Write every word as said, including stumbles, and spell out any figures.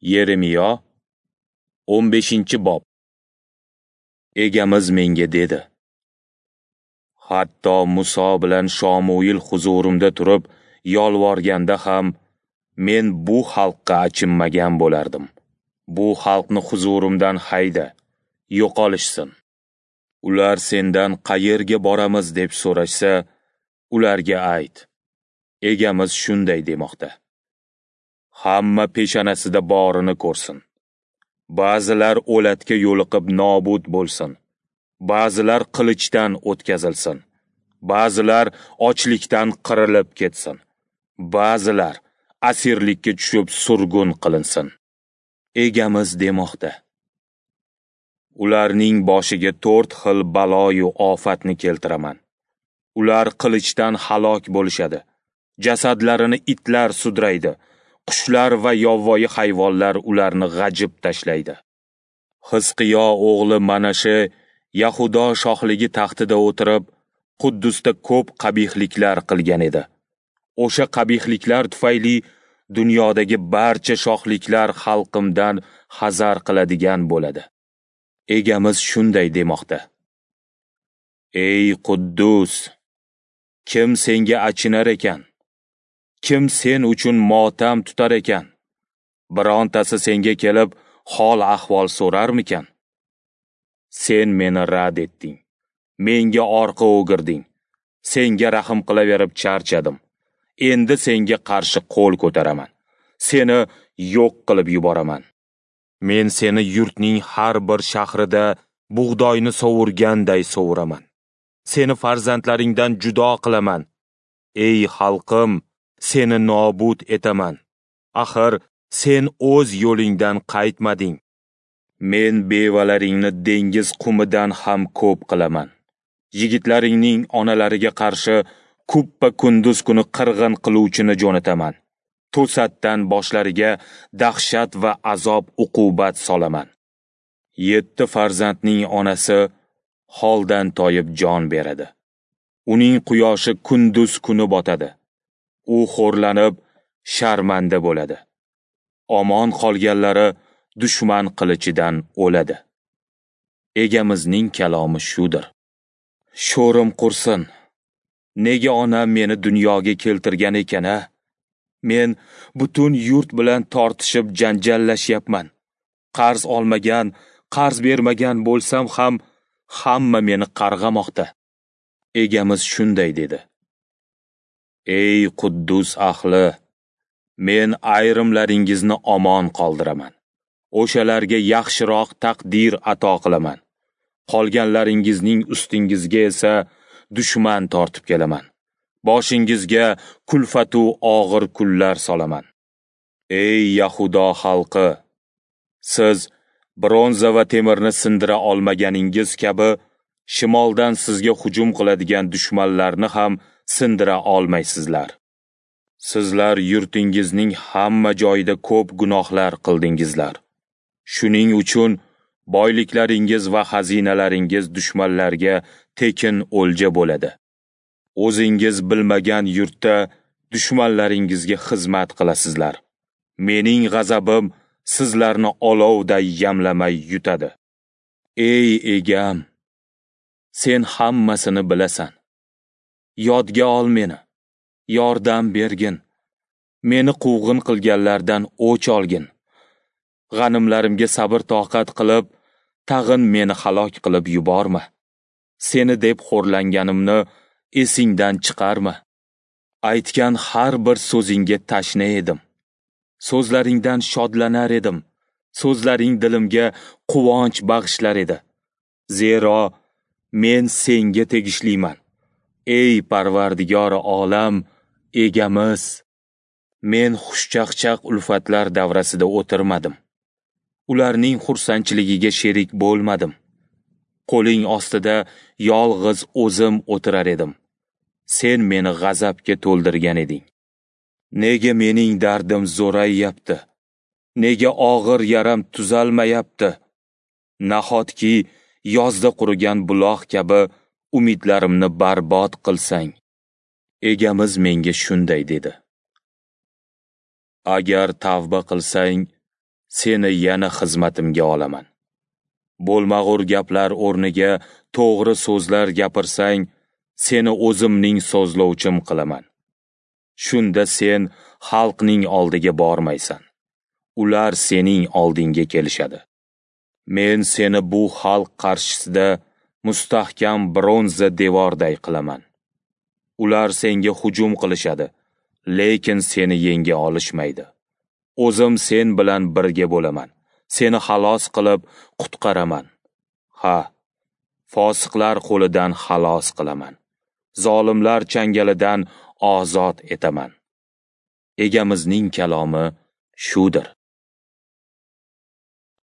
Yeremiyo o'n beshinchi bob. Egamiz menga dedi: Hatto Muso bilan Shomuil huzurimda turib yolvorganda ham men bu xalqqa achinmagan bo'lardim. Bu xalqni huzurimdan hayda, yo'qolishsin. Ular sendan qayerga boramiz deb so'rashsa, ularga ayt: Egamiz shunday demoqda: Hamma peshanasida borini ko'rsin. Ba'zilar o'latga yo'liqib nobud bo'lsin. Ba'zilar qilichdan o'tkazilsin. Ba'zilar ochlikdan qirilib ketsin. Ba'zilar asirlikka tushib surgun qilinsin. Egamiz demoqda: Ularning boshiga to'rt xil baloyu ofatni keltiraman. Ular qilichdan halok bo'lishadi. Jasadlarini itlar sudraydi. Qushlar va yovvoyi hayvonlar ularni g'ajib tashlaydi. Hizqiyo o'g'li Manashe Yahudo shohligi taxtida o'tirib, Quddusda ko'p qabihliklar qilgan edi. O'sha qabihliklar tufayli dunyodagi barcha shohliklar xalqimdan hazar qiladigan bo'ladi. Egamiz shunday demoqda: Ey Quddus, kim senga achinar ekan? Kim sen uchun motam tutar ekan? Birontasi senga kelib hol ahvol so'rarmikan? Sen meni rad etding. Menga orqa o'girding. Senga rahm qilaverib charchadim. Endi senga qarshi qo'l ko'taraman. Seni yo'q qilib yuboraman. Men seni yurtning har bir shahrida bug'doyni sovurganday sovuraman. Seni farzandlaringdan judo qilaman. Ey xalqim, seni nobud etaman. Axir sen o'z yo'lingdan qaytmading. Men bevalaringni dengiz qumidan ham ko'p qilaman. Yigitlaringning onalariga qarshi kuppa kunduz kuni qirg'in qiluvchini jo'nataman. To'satdan boshlariga dahshat va azob uqubat solaman. Yetti farzandning onasi holdan toyib jon beradi. Uning quyoshi kunduz kuni botadi. U xo'rlanib sharmanda bo'ladi. Omon qolganlari dushman qilichidan o'ladi. Egamizning kalomi shudir. Sho'rim qursin. Nega onam meni dunyoga keltirgan ekan-a? Men butun yurt bilan tortishib janjallashyapman. Qarz olmagan, qarz bermagan bo'lsam ham hamma meni qarg'amoqda. Egamiz shunday dedi: Ey Quddus ahli, men ayrimlaringizni omon qoldiraman. O'shalarga yaxshiroq taqdir ato qilaman. Qolganlaringizning ustingizga esa dushman tortib kelaman. Boshingizga kulfatu og'ir kunlar solaman. Ey Yahudo xalqi, siz bronza va temirni sindira olmaganingiz kabi shimoldan sizga hujum qiladigan dushmanlarni ham sindira olmaysizlar. Sizlar yurtingizning hamma joyida ko'p gunohlar qildingizlar. Shuning uchun boyliklaringiz va xazinalaringiz dushmanlarga tekin o'lja bo'ladi. O'zingiz bilmagan yurtda dushmanlaringizga xizmat qilasizlar. Mening g'azabim sizlarni olovday yamlamay yutadi. Ey egam, sen hammasini bilasan. Yodga ol meni, yordam bergin. Meni quvg'in qilganlardan o'ch olgin. G'animlarimga sabr toqat qilib, tag'in meni halok qilib yuborma. Seni deb xo'rlanganimni esingdan chiqarma. Aytgan har bir so'zingga tashna edim. So'zlaringdan shodlanar edim. So'zlaring dilimga quvonch bag'ishlar edi. Zero men senga tegishliman. Ey Parvardigori olam, egamiz, men xushchaqchaq ulfatlar davrasida o'tirmadim. Ularning xursandchiligiga sherik bo'lmadim. Qo'ling ostida yolg'iz o'zim o'tirar edim. Sen meni g'azabga to'ldirgan eding. Nega mening dardim zo'rayyapti? Nega og'ir yaram tuzalmayapti? Nahotki yozda qurigan buloq kabi umidlarimni barbod qilsang? Egamiz menga shunday dedi: Agar tavba qilsang, seni yana xizmatimga olaman. Bo'lmag'ur gaplar o'rniga to'g'ri so'zlar gapirsang, seni o'zimning so'zlovchim qilaman. Shunda sen xalqning oldiga bormaysan. Ular sening oldingga kelishadi. Men seni bu xalq qarshisida mustahkam bronza devorday qilaman. Ular senga hujum qilishadi, lekin seni yenga olishmaydi. O'zim sen bilan birga bo'laman. Seni xalos qilib qutqaraman. Ha, fosiqlar qo'lidan xalos qilaman. Zolimlar changalidan ozod etaman. Egamizning kalomi shudir.